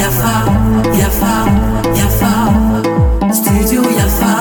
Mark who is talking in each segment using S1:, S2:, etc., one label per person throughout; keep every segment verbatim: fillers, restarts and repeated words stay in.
S1: Yafa, Yafa, Yafa, Studio Yafa.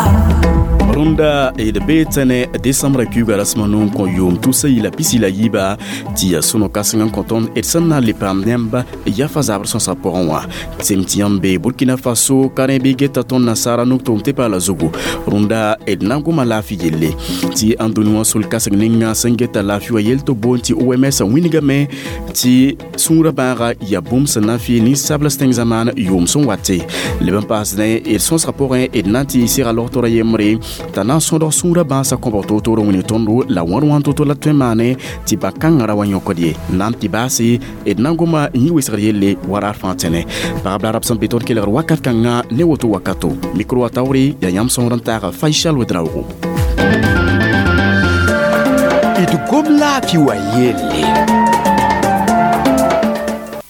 S2: Rũndã d bee tẽne desãmbrã kuiigã rasem a nu n kõ yʋʋm tusa yila pisi la yiiba tɩ ya sõno kãseng n kõ tõnd d sẽn na n le paam nẽmb yafa zabr sõsã pʋgẽ wã sem tɩ yãmb be Burkina Faso ka rẽ bɩ geta tõnd nasaara nug-tʋʋm tɩ paala zugu rũndã d na n goma laafɩ yelle tɩ ãn dũni wã sol kãseng ninga sẽn geta laafɩ wã yel tɩ boond tɩ O M S wĩnigame tɩ sũurã bãaga yaa bũmb sẽn na n fɩ ninsabls tẽng zamaan yʋʋm sẽn wate leb n paasdẽ d sõsgã pʋgẽ d na n tɩ sega logtorã yembre t'a na n sõdg sũurã bãasã kõbg toor-toor n wĩnig tõndo la wãr wãn to-to la tõe n maane tɩ ba-kãngã ra wa yõkd ye na n tɩ baase d na n goma yĩ wesgr yelle wa raar fãa tẽne pagb la rab sẽn be tõnd kelgr wakat kãngã ne woto wakato mikro wa taoore yaa yãmb sõor n taaga Faisal Wedraogo.
S3: D gom laafɩ wa yelle.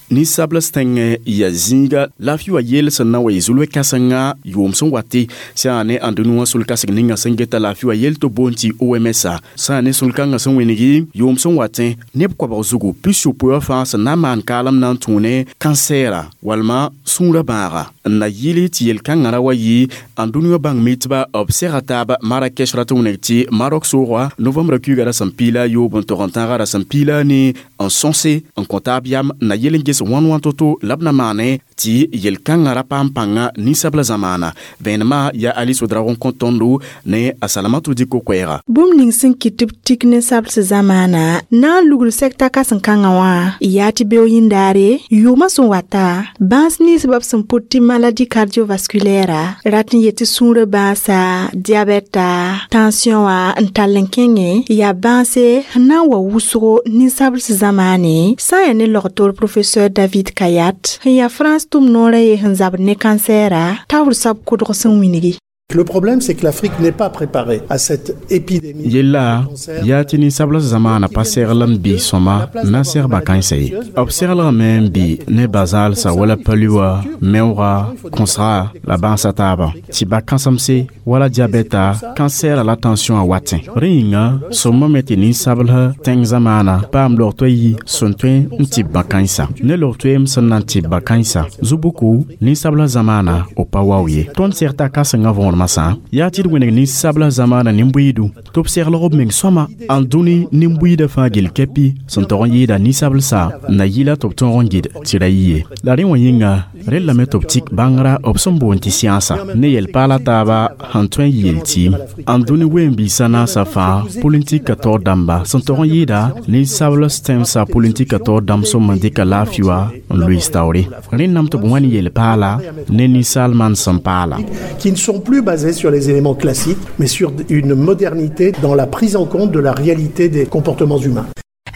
S2: Ninsabls tẽng ya zĩiga laafɩ wa yell sẽn na n wa yɩ zulwɛ kãsenga yʋʋm sẽn wate sã yaa ne ãndũnĩ wã sul-kãseng ninga sẽn geta laafɩ wa yell tɩ boond tɩ O M S sã yaa ne sul-kãngã sẽn wĩngi yʋʋm sẽn watẽ neb koabg zugu pis-yopoe wã fãa sẽn na n maan kaalem na n tũ ne kansɛɛra walma sũurã bãaga n na yɩl tɩ yel-kãngã ra wa yɩ ãndũnĩ wã bãng mitba b sega taab Marakesh rat n wĩneg tɩ Marok soogã novembrã kuiigã rasem piila a yoob n tog n tãagã rasem piila a ne n sõse n kõ taab yam n na yel n ges wãn wãn to-to la b na maane tɩ yel-kãngã ra paam pãnga ninsabla zamaana vẽenemã yaa Alice Ouedraogo n kõ tõndo ne a Salamatu Diko koɛɛga.
S4: Bũmb ning sẽn kɩt tɩ b tik ninsabls zamaana na n lugl sɛkta kãsen-kãngã wã yaa tɩ beoog yĩndaare yʋʋmã sẽn wata bãas ninsbã b sẽn pʋt tɩ maladie cardiovasculaire rat n yet tɩ sũurã bãasa diabɛta tension wã n tall n kẽngẽ yaa bãase sẽn na n wa wʋsgo ninsabls zamaane sã n yaa ne logtor professeur David Khayat sẽn yaa France tʋm noorã ye sẽn zabd ne kansɛɛra taoor sab kʋdg sẽn wĩngi.
S5: Le problème, c'est que l'Afrique n'est pas préparée à cette épidémie.
S2: Yella yaa tɩ ninsabls zamaana pa segl n bɩ sõma na n seg ba-kãensã ye b seglgame n bɩ ne bazaalsã wala palu wã meoogã kõsga la bãasa taabã tɩ ba-kãsemse wala diabɛta kansɛɛra la tension a watẽ rẽ yĩnga sõmame tɩ ninsabls tẽng zamaana paam log toa yi sẽn tõe n tɩ bã-kãensã ne log toeem sẽn na n tɩ bã-kãensã zu-buku ninsabls zamaana b pa wao ye tõnd seg t'a kãsengã võor masã yaa tɩ d wẽneg ninsabla zamaana nin-buiidu tɩ b seglg b meng sõma n dũni nin-buiidã fãa gill kɛpi sẽn tog n yɩɩda ninsablsã n na yɩla tɩ b tõog n gɩd tɩ ra yɩ ye la rẽ wã yĩnga rellame tɩ b tik bãngrã b sẽn boond tɩ sãensa ne yel-paala taaba sẽn tõe n yeel tɩɩm n dũni ween-biisã naasã fãa politika taoor dãmba sẽn tog n yɩɩda ninsabls tẽmsã politika taoor dãmb sõm n dɩka laafɩ wã n loees taoore rẽndame tɩ b wã ne yel-paala ne ninsaal manesem paala.
S5: Qui ne sont plus basés sur les éléments classiques, mais sur une modernité dans la prise en compte de la réalité des comportements humains.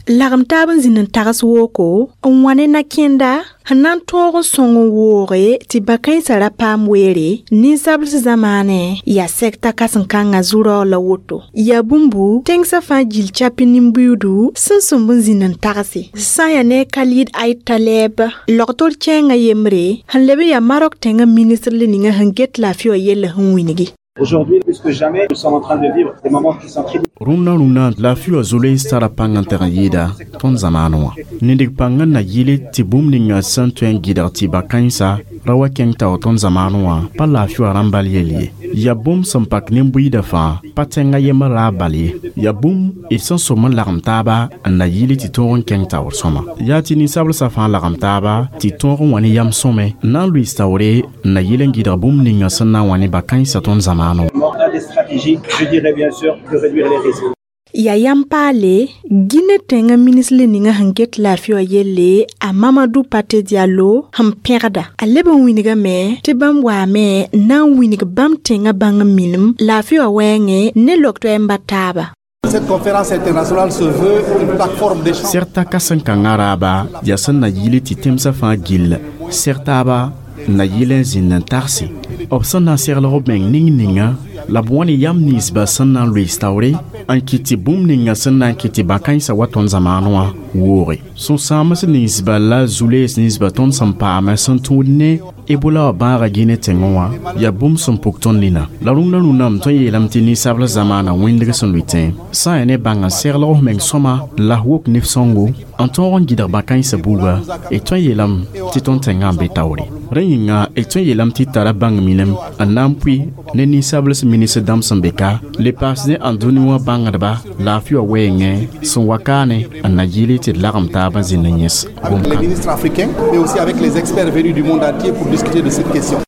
S4: Lagem taab n zĩnd n tags wooko n wa ne na-kẽnda sẽn na n tõog n sõng n wooge tɩ ba-kãensã ra paam weere ninsabls zamaanẽ yaa sɛkta kãsen-kãngã zu-raoog la woto yaa bũmbu tẽngsã fãa gill chapi nin-buiidu sẽn sõmb n zĩnd n tagse sã n yaa ne Khalid Aït Taleb logtor kẽengã yembre sẽn leb n yaa Marok tẽngã ministr le ninga sẽn get laafɩ wã yella sẽn wĩngi.
S6: Aujourd'hui, plus que jamais, nous sommes en train de vivre des moments qui sont très
S2: Rũndã rũndã laafɩ wã zoleens tara pãng n teg n yɩɩda tõnd zamaanẽ wã nindg pãng n na yɩle tɩ bũmb ninga sẽn tõe n gɩdg tɩ ba-kãensã ra wa kẽng tao tõnd zamaanẽ wã pa laafɩ wã rãmb bal yell ye yaa bũmb sẽn pak nin-buiidã fãa pa tẽngã yembr raab bal ye yaa bũmb d sẽn som n lagem taaba n na yɩle tɩ tõog n kẽng taoor sõma yaa tɩ ninsablsã fãa lagem taaba tɩ tõog n wa ne yam sõme n na n loees taoore n na yɩl n gɩdg bũmb ninga sẽn na n wa ne ba-kãensã tõnd zamaanẽ wã.
S6: Des stratégies, je dirais bien sûr, de réduire les risques.
S4: Yaa yam paale Guinée tẽngã ministre le ninga sẽn get laafɩ wã yelle a Mamadou Pate Diallo sẽn pẽgda a leb n wĩnigame tɩ bãmb waame n na n wĩnig bãmb tẽngã bãng n minim laafɩ wã wɛɛngẽ ne log toɛɛmba taaba.
S7: Cette conférence internationale se veut une plateforme d'échange.
S2: Sɛgta kãsen-kãngã raaba yaa sẽn na yɩle tɩ tẽmsã fãa gill seg taaba n na yɩl n zĩnd n tagse b sẽn na n seglg b meng ning ninga la b wã ne yam ninsbã sẽn na n loees taoore. n kɩt tɩ bũmb ninga sẽn na n kɩt tɩ bã-kãensã wa tõnd zamaanẽ wã wooge sũ-sãams ninsba la zu-lees ninsba tõnd sẽn paame sẽn tũud ne Ebola wã bãaga Gine tẽngẽ wã yaa bũmb sẽn puk tõnd nina la rũndã rũndã m tõe n yeelame tɩ ninsabl zamaana wĩndg sẽn lʋɩ tẽ sã n yaa ne bãnga seglg f meng sõma la f wok nif-sõngo n tõog n gɩdg bã-kãensã buuga d tõe n yeelame tɩ tõnd tẽngã n be taoore rẽ yĩnga d tõe n yeelame tɩ d tara bãng minem n na n pʋɩ ne ninsables ministr dãmb sẽn be ka le paas ne ãndũni wã bãngdba laafɩ wã wɛɛngẽ sẽn wa kaane n na yɩle tɩ d lagem taab n zĩnd n yẽs
S7: Avec les ministres africains, mais aussi avec les experts venus du monde entier pour discuter de cette question.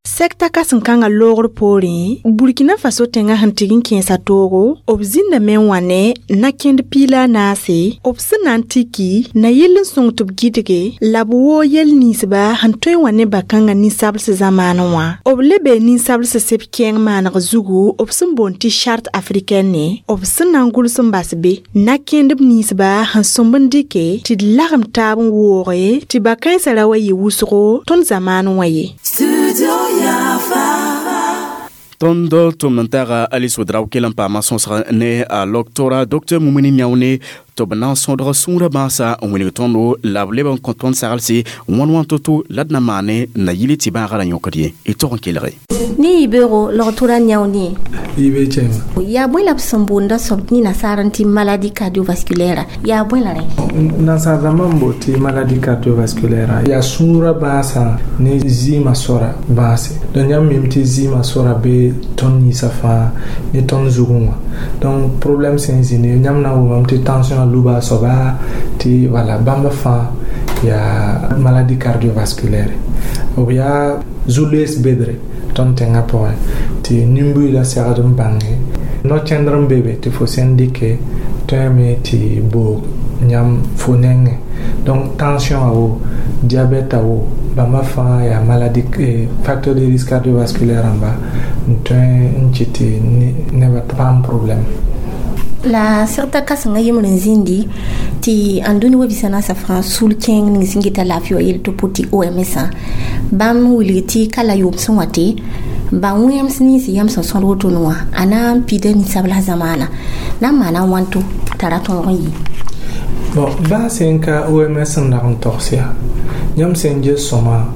S4: Sɛkta kãsen-kãngã loogr poorẽ Burkina Faso tẽngã sẽn tɩg n kẽesa toogo b zĩndame n wã ne na-kẽnd piig la a naase b sẽn na n tiki na yell n sõng tɩ b gɩdge la b woog yɛl ninsba sẽn tõe n wa ne ba-kãngã ninsables zamaanẽ wã b le bee ninsables seb kɛɛng maaneg zugu b sẽn boond tɩ charte africaine b sẽn na n gʋls n bas be na-kẽndb ninsba sẽn sõmb n dɩke tɩ d lagem taab n wooge tɩ ba-kãensã ra wa yɩ wʋsgo tõnd zamaanẽ wã ye.
S1: Studio Yafa.
S2: Tõnd tʋmd n taga Alice Ouedraogo kell n paama sõsg ne a loktora Docteur Mumini Niaone tɩ b na n sõdg sũurã bãasa n wilg tõndo la b leb n kõ tõnd saglse wãn wãn to-to la d na maane n na yɩl tɩ bãagã ra yõkd ye y tog n kelge.
S8: Ne yibeogo logtora yãune.
S9: Yibe chɛma.
S8: Yaa bõe la b sẽn boonda soab ne nasaar n tɩ maladie cardiovasculaire yaa bõe la rẽ?
S9: Nasaar dãmbã n boot tɩ maladie cardiovasculaire yaa sũurã bãasã ne zɩɩmã sora bãase. Donc yãmb mim tɩ zɩɩmã sora be tõnd ninsã fãa ne tõnd zugẽ wã. Donc problème sẽn zĩni yãmb na n wʋmame tɩ tension luba a soaba tɩ wala bãmba fãa yaa maladie cardiovasculaire b yaa zu-loees bedre tõnd tẽngã pʋgẽ tɩ nin-buiidã segd n bãnge no-kẽndr n be be tɩ fo sẽn dɩke tõeme tɩ boog yãmb fo nengẽ. Donc tension a wo diabète a wo bãmba fãa yaa maladie eh, facteur de risque cardiovasculaire rãmba n tõe n kɩt tɩ nebã paam problème.
S8: La sɛgta kãsenga yembr n zĩndi tɩ ãndũni wa bisa naasã fãa sul kẽeng ning sẽn geta laafɩ wã yel tɩ pʋ tɩ O M S bãmb wilg tɩ ka la yʋʋm sẽn wa tɩ ba wẽems nins yãmb sẽn sõd wotone wã a na n pida ninsabla zamaana na n maana wãnto t'a ra tõog n yɩ.
S9: Bon, bãas n ka O M S n dag n togs yaa yãmb sẽn ges sõma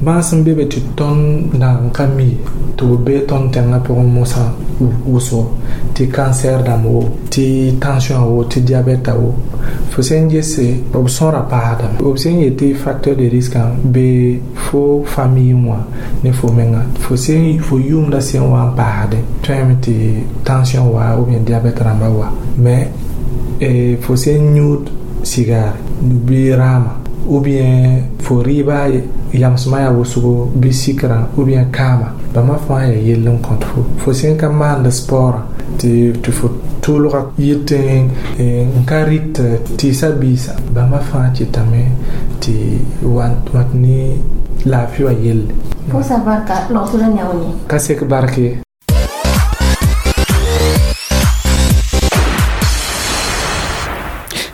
S9: bãas n be be tɩ tõnd dag n ka mi tɩ b be tõnd tẽngã pʋgẽ mosã wʋsgo tɩ cancer dãmb wo tɩ tension wo tɩ diabète wo fo sẽn gese b sõra paasdame b sẽn yet tɩ facteur de risque be fo famille wã ne fo menga fo sẽn fo yʋʋmda sẽn wa n paasdẽ tõeme tɩ tension wa ou bien diabète rãmba wa mais eh, fo sẽn yũud cigare bɩ rãama ou bien fo rɩɩba yamsmã yaa wʋsgo bɩ sikrã ou bien kãama bãmba fãa yaa yell n kõt fo fo sẽn ka maand sport tɩ tɩ fo tʋʋlga yɩt n ka rɩt tɩɩsã biisa bãmba fãa kɩtame tɩ wat ne laafɩ wã yelle.
S8: Pʋʋsa barka logtora yãone.
S9: Ka sek barke.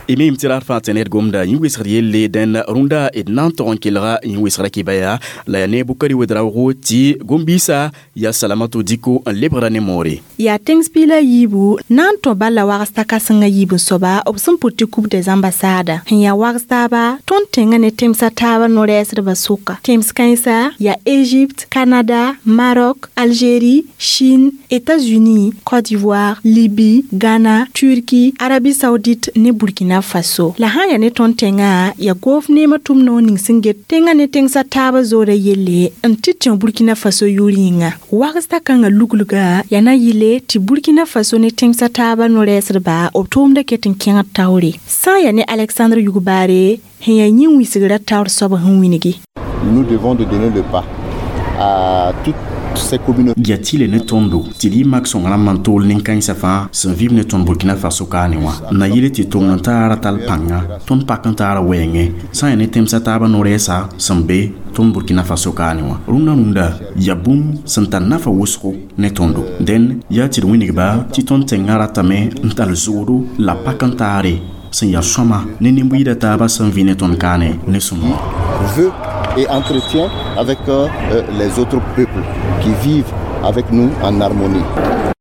S2: Imim tɩ rat fãa tɩ ned gomda yẽ wɩsgd yelle dẽn rũndã d na n tog n kelga yẽ wɩsgrã kɩbaya la yaa ne Bukari Wedraoogo tɩ gom-biisã yaa Salamato Diko n lebgra ne moore.
S4: Yaa tẽngs piig la yiibu na n tõ bala wags t'a kãsengã yiib n soaba b sẽn pʋt tɩ Coupe des ambassades sẽn yaa wags taaba tõnd tẽngã ne tẽmsã taabã no-rɛɛsdbã sʋka tẽms kãensa yaa Égypte, Canada, Maroc, Algérie, Chine, États-Unis, Côte d'Ivoire, Libye, Ghana, Turquie, Arabie Saoudite ne Burkina Faso. La sã n yaa ne tõnd tẽngã yaa goof neemã tʋm noor ning sẽn get tẽngã ne tẽngsã taabã zoora yelle n tɩ tẽ Burkina Faso yʋʋr yĩnga wags t'a kãngã luglga yaa na yɩle tɩ Burkina Faso ne tẽngsã taabã no-rɛɛsdba b tʋʋmda ket n kẽngd taoore sã n yaa ne Alexandre Yugbaare sẽn yaa yĩn-wĩsgrã taoor soab sẽn wilgi.
S7: Nous devons de donner le pas à toutes ces communautés.
S2: Ya tɩle ne tõndo tɩ d yɩ mak sõng rãmb n tool nin-kãensã fãa sẽn vɩb ne tõnd Burkina Faso kaane wã n na yɩle tɩ tong n taara tall pãnga tõnd pak n taara wɛɛngẽ sã n yaa ne tẽmsã taabã no-rɛɛsa sẽn be tõnd Burkina Faso kaane wã rũndã rũndã yaa bũmb sẽn tar nafa wʋsgo ne tõndo dẽn yaa tɩ d wĩnigba tɩ tõnd tẽngã ratame n tall zoodo la pak n taare sẽn yaa sõma ne nin-buiidã taabã sẽn vɩ ne tõnd kaane ne sõma.
S7: Veut et entretient avec euh, les autres peuples qui vivent avec nous en harmonie.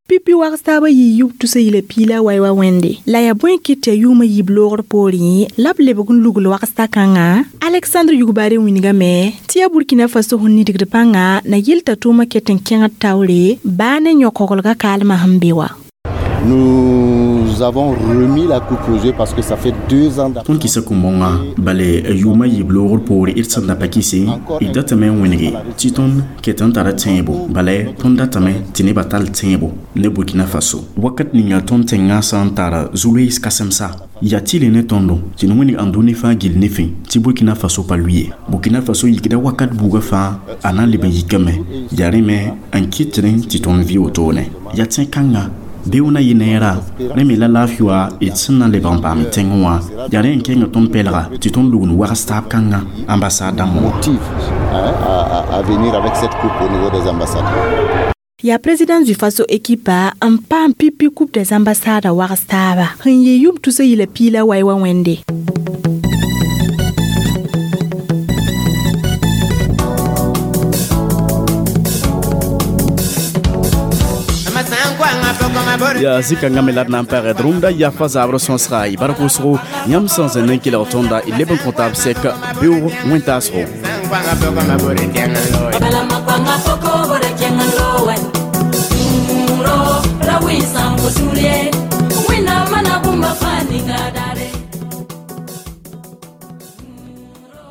S4: Pipi wags taaba yɩ yub tusa yila piila wai wa wẽnde la yaa bõe kɩt tɩ yaa yʋʋmã yiib loogr poorẽ la b lebg n lugl wags kãngã. Alexandre Yugbare wilgame tɩ yaa Burkina Faso sẽn nidgd pãnga na yɩl t'a tʋʋmã ket n kẽngd taoore baa ne yõ-koglgã kaalmã sẽn be wa.
S7: Nous avons remis la coupe au jeu parce que ça fait deux ans.
S2: Tõnd kɩsa kũm-bõngã bale yʋʋmã yiib loogr poore d sẽn da pa kɩse d datame n wẽnege tɩ tõnd ket n tara tẽebo bala tõnd datame tɩ nebã tall tẽebo ne Burkina Faso wakat ninga tõnd tẽngã sã n tar zu-loees kãsemsa yaa tɩle ne tõndo tɩ d wẽneg ãndũni fãa gill ne fẽ tɩ Burkina Faso pa lʋɩ ye. Burkina Faso yikda wakat buugã fãa a na n leb n yikame yaa rẽ me n kɩtrẽ tɩ tõnd vɩ wotone yaa tẽ-kãngã beoog na yɩ neera rẽ me la laafɩ wa d sẽn na lebg n paam tẽngẽ wã yaa rẽ n kẽnga tõnd pɛlga tɩ tõnd lugl wags taab kãngã ambassade dãmb wã.
S7: Motive hein, à, à, à venir avec cette coupe au niveau des ambassades.
S4: Yaa président Faso ekipa n paam pipi coupe des ambassades wags taaba sẽn yɩ yʋm tusa yila piila wai wa wẽnde.
S2: Ya zikãngã me la d na n pagd rũmda yafa zabr sõsga y bar kʋsgo yãmb sẽn zẽnd n kelg tõnda y leb n kõ taab sɛk beoog wẽntaasgo.